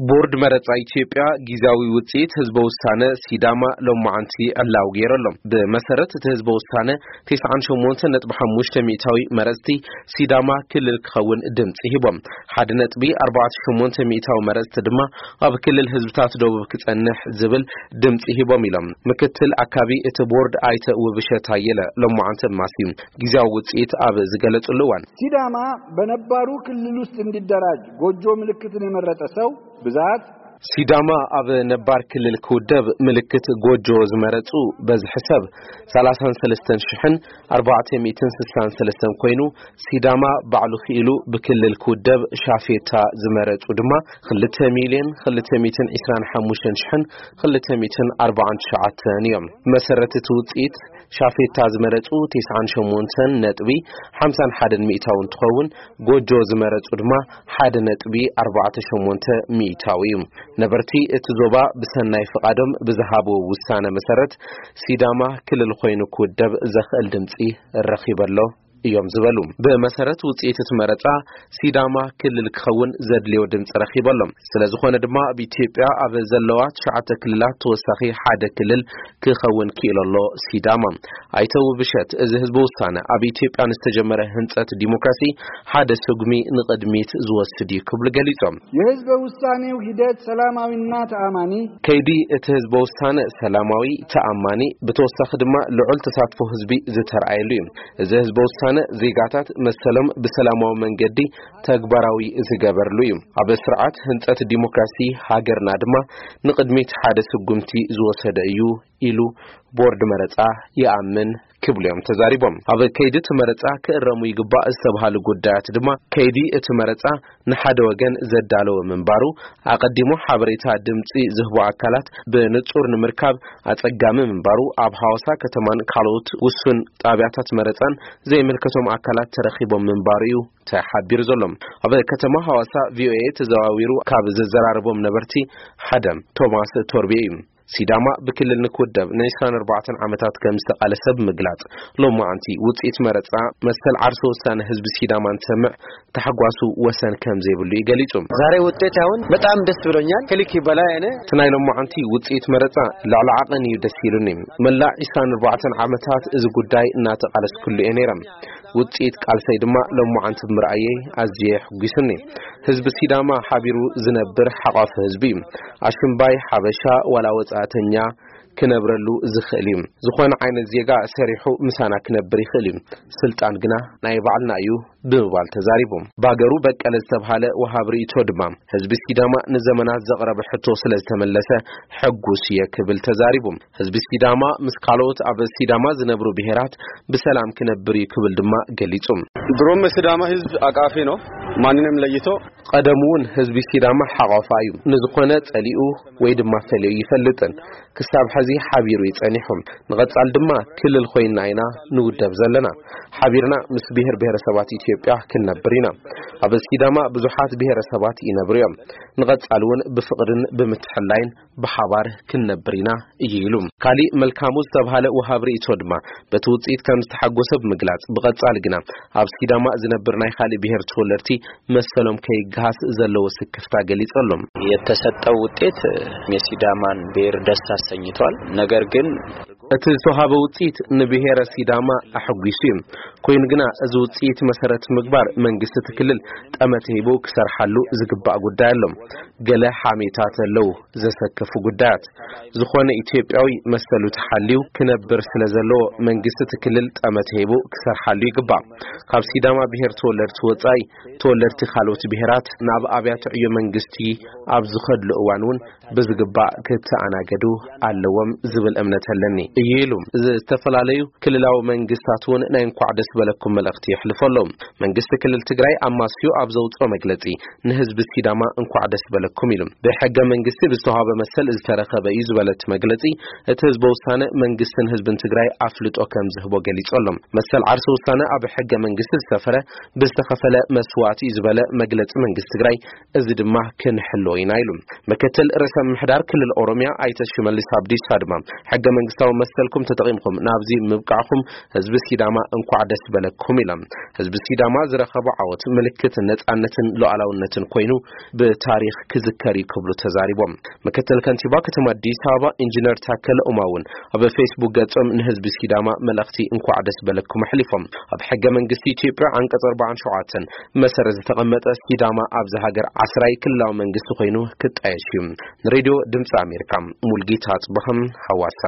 ቦርድ መረጻ ኢትዮጵያ ግዝያዊ ውጽኢት ህዝበ ውሳነ ሲዳማ ሎማዓንቲ ዕላዊ ገይሩ ኣሎ። ብመሰረት እቲ ህዝበ ውሳነ፣ ተስዓን ሸሞንተን ነጥቢ ሓሙሽተ ሚእታዊ መረጽቲ ሲዳማ ክልል ክኸውን ድምጺ ሂቦም። ሓደ ነጥቢ ኣርባዕተ ሸሞንተ ሚእታዊ መረጽቲ ድማ ኣብ ክልል ህዝብታት ደቡብ ክጸንሕ ዝብል ድምጺ ሂቦም ኢሎም ምክትል ኣካቢ እቲ ቦርድ ኣይተ ውብሸት ኣየለ ሎማዓንቲ ኣማስዩ ግዝያዊ ውጽኢት ኣብ ዝገለጽሉ እዋን። ሲዳማ በነባሩ ክልል ውስጥ እንዲደራጅ ጎጆ ምልክትን የመረጠ ሰው ብዛት። ሲዳማ ኣብ ነባር ክልል ክውደብ ምልክት ጎጆ ዝመረጹ በዝሒ ሰብ ሰላሳን ሰለስተን ሽሕን ኣርባዕተ ሚእትን ስሳን ሰለስተን ኮይኑ፣ ሲዳማ ባዕሉ ክኢሉ ብክልል ክውደብ ሻፌታ ዝመረጹ ድማ ክልተ ሚልዮን ክልተ ሚእትን ዕስራን ሓሙሽተን ሽሕን ክልተ ሚእትን ኣርባዓን ትሽዓተን እዮም። መሰረት እቲ ውጽኢት፣ ሻፌታ ዝመረጹ ተስዓን ሸሞንተን ነጥቢ ሓምሳን ሓደን ሚእታዊ እንትኸውን፣ ጎጆ ዝመረጹ ድማ ሓደ ነጥቢ ኣርባዕተ ሸሞንተ ሚእታዊ እዩ። ነበርቲ እቲ ዞባ ብሰናይ ፍቓዶም ብዝሃብዎ ውሳነ መሰረት፣ ሲዳማ ክልል ኮይኑ ክውደብ ዘኽእል ድምጺ ረኺበ ኣሎ እዮም ዝበሉ። ብመሰረት ውጽኢት እቲ መረጻ፣ ሲዳማ ክልል ክኸውን ዘድልዮ ድምጺ ረኺበ ኣሎ። ስለ ዝኾነ ድማ፣ ኣብ ኢትዮጵያ ኣብ ዘለዋ ትሽዓተ ክልላት ተወሳኺ ሓደ ክልል ክኸውን ክኢሉ ኣሎ ሲዳማ። ኣይተ ውብሸት፣ እዚ ህዝበ ውሳነ ኣብ ኢትዮጵያ ንዝተጀመረ ህንጸት ዲሞክራሲ ሓደ ስጉሚ ንቕድሚት ዝወስድ እዩ ክብሉ ገሊጾም። የህዝበ ውሳኔው ሂደት ሰላማዊና ተኣማኒ። ከይዲ እቲ ህዝበ ውሳነ ሰላማዊ፣ ተኣማኒ፣ ብተወሳኺ ድማ ልዑል ተሳትፎ ህዝቢ ዝተረኣየሉ እዩ። እዚ ህዝበ ውሳነ ዜጋታት መሰሎም ብሰላማዊ መንገዲ ተግባራዊ ዝገበርሉ እዩ። ኣብ ስርዓት ህንጸት ዲሞክራሲ ሃገርና ድማ ንቕድሚት ሓደ ስጉምቲ ዝወሰደ እዩ ኢሉ ቦርድ መረጻ ይኣምን ክብሉ እዮም ተዛሪቦም። ኣብ ከይዲ እቲ መረጻ ክእረሙ ይግባእ ዝተባሃሉ ጉዳያት ድማ ከይዲ እቲ መረጻ ንሓደ ወገን ዘዳለወ ምንባሩ፣ ኣቐዲሙ ሓበሬታ ድምጺ ዝህቡ ኣካላት ብንጹር ንምርካብ ኣጸጋሚ ምንባሩ፣ ኣብ ሃዋሳ ከተማን ካልኦት ውሱን ጣብያታት መረጻን ዘይምልከቶም ኣካላት ተረኺቦም ምንባሩ እዩ ተሓቢሩ ዘሎ። ኣብ ከተማ ሃዋሳ ቪኦኤ ተዘዋዊሩ ካብ ዘዘራረቦም ነበርቲ ሓደ ቶማስ ቶርቤ እዩ። ሲዳማ ብክልል ንክውደብ ንዕስራን ኣርባዕተን ዓመታት ከም ዝተቓለሰ ብምግላጽ፣ ሎማዓንቲ ውጽኢት መረጻ መሰል ዓርሰ ውሳነ ህዝቢ ሲዳማ እንትሰምዕ ታሕጓሱ ወሰን ከም ዘይብሉ እዩ ገሊጹ። ዛሬ ውጤት አሁን በጣም ደስ ብሎኛል። ከልክ በላይ እኔ እቲ ናይ ሎማዓንቲ ውጽኢት መረጻ ልዕሊ ዓቐን እዩ ደስ ኢሉኒ። መላእ ዕስራን ኣርባዕተን ዓመታት እዚ ጉዳይ እናተቓለስኩሉ እየ ነይረ። ውጽኢት ቃልሰይ ድማ ሎማዓንቲ ብምርኣየይ ኣዝየ ሕጒስኒ። ህዝቢ ሲዳማ ሓቢሩ ዝነብር ሓቋፊ ህዝቢ እዩ። ኣሽምባይ፣ ሓበሻ ዋላ ወጻእተኛ ክነብረሉ ዝኽእል እዩ። ዝኾነ ዓይነት ዜጋ ሰሪሑ ምሳና ክነብር ይኽእል እዩ። ስልጣን ግና ናይ ባዕልና እዩ ብምባል ተዛሪቦም። ባገሩ በቀለ ዝተብሃለ ወሃብ ርእይቶ ድማ፣ ህዝቢ ሲዳማ ንዘመናት ዘቕረበ ሕቶ ስለ ዝተመለሰ ሕጉስ እየ ክብል ተዛሪቡ። ህዝቢ ሲዳማ ምስ ካልኦት ኣብ ሲዳማ ዝነብሩ ብሄራት ብሰላም ክነብር እዩ ክብል ድማ ገሊጹ። ድሮም ሲዳማ ህዝብ አቃፊ ነው። ማንንም ለይቶ ቀደም እውን ህዝቢ ሲዳማ ሓቋፋ እዩ። ንዝኾነ ጸሊኡ ወይ ድማ ፈልዮ ይፈልጥን ክሳብ ሕዚ ሓቢሩ እዩ ጸኒሑ። ንቐጻል ድማ ክልል ኮይና ኢና ንውደብ ዘለና። ሓቢርና ምስ ብሄር ብሄረሰባት ኢትዮጵያ ክንነብር ኢና። ኣብ ሲዳማ ብዙሓት ብሄረሰባት ይነብሩ እዮም። ንቐጻል እውን ብፍቕርን ብምትሕላይን ብሓባር ክንነብር ኢና እዩ ኢሉ። ካሊእ መልካሙ ዝተብሃለ ወሃብ ርእይቶ ድማ በቲ ውጽኢት ከም ዝተሓጎሰ ብምግላጽ፣ ብቐጻሊ ግና ኣብ ሲዳማ ዝነብር ናይ ካሊእ ብሄር ተወለድቲ መሰሎም ከይገሃስ ዘለዎ ስክፍታ ገሊጹ ኣሎ። የተሰጠው ውጤት የሲዳማን ብሔር ደስ አሰኝቷል። ነገር ግን እቲ ዝተዋሃበ ውጽኢት ንብሄረ ሲዳማ ኣሐጒሱ እዩ። ኮይኑ ግና እዚ ውጽኢት መሰረት ምግባር መንግስቲ እቲ ክልል ጠመተ ሂቡ ክሰርሓሉ ዝግባእ ጉዳይ ኣሎ። ገለ ሓሜታት ኣለዉ ዘሰክፉ ጉዳያት። ዝኾነ ኢትዮጵያዊ መሰሉ ተሓልዩ ክነብር ስለ ዘለዎ መንግስቲ እቲ ክልል ጠመተ ሂቡ ክሰርሓሉ ይግባእ። ካብ ሲዳማ ብሄር ተወለድቲ ወጻኢ ተወለድቲ ካልኦት ብሄራት ናብ ኣብያተ ዕዮ መንግስቲ ኣብ ዝኸድሉ እዋን እውን ብዝግባእ ክተኣናገዱ ኣለዎም ዝብል እምነት ኣለኒ እዩ ኢሉ። ዝተፈላለዩ ክልላዊ መንግስታት እውን ናይ እንኳዕ ደስ በለኩም መልእኽቲ የሕልፉ ኣለዉ። መንግስቲ ክልል ትግራይ ኣማስዩ ኣብ ዘውፅኦ መግለፂ ንህዝቢ ሲዳማ እንኳዕ ደስ በለኩም ኢሉ። ብሕገ መንግስቲ ብዝተዋሃበ መሰል ዝተረኸበ እዩ ዝበለ እቲ መግለፂ፣ እቲ ህዝበ ውሳነ መንግስትን ህዝብን ትግራይ ኣፍልጦ ከም ዝህቦ ገሊፁ ኣሎ። መሰል ዓርሰ ውሳነ ኣብ ሕገ መንግስቲ ዝሰፈረ ብዝተኸፈለ መስዋእቲ እዩ ዝበለ መግለጺ መንግስቲ ትግራይ፣ እዚ ድማ ክንሕሎ ኢና ኢሉ። ምክትል ርእሰ ምምሕዳር ክልል ኦሮሚያ ኣይተ ሽመልስ ኣብዲሳ ድማ፣ ሕገ መንግስታዊ መሰልኩም ተጠቒምኩም ናብዚ ምብቃዕኩም ህዝቢ ሲዳማ እንኳዕ ደስ በለኩም ኢሎም። ህዝቢ ሲዳማ ዝረኸቦ ዓወት ምልክት ነጻነትን ሉዓላውነትን ኮይኑ ብታሪኽ ክዝከር እዩ ክብሉ ተዛሪቦም። ምክትል ከንቲባ ከተማ ኣዲስ ኣበባ ኢንጂነር ታከለ ኡማ እውን ኣብ ፌስቡክ ገጾም ንህዝቢ ሲዳማ መልእኽቲ እንኳዕ ደስ በለኩም ኣሕሊፎም። ኣብ ሕገ መንግስቲ ኢትዮጵያ ዓንቀጽ ኣርባዓን ሸውዓተን መሰረት ዝተቐመጠ ሲዳማ ኣብዚ ሃገር ዓስራይ ክልላዊ መንግስቲ ኮይኑ ክጣየሽ እዩ። ንሬድዮ ድምፂ ኣሜሪካ ሙልጌታ ኣጽብሃም ሃዋሳ።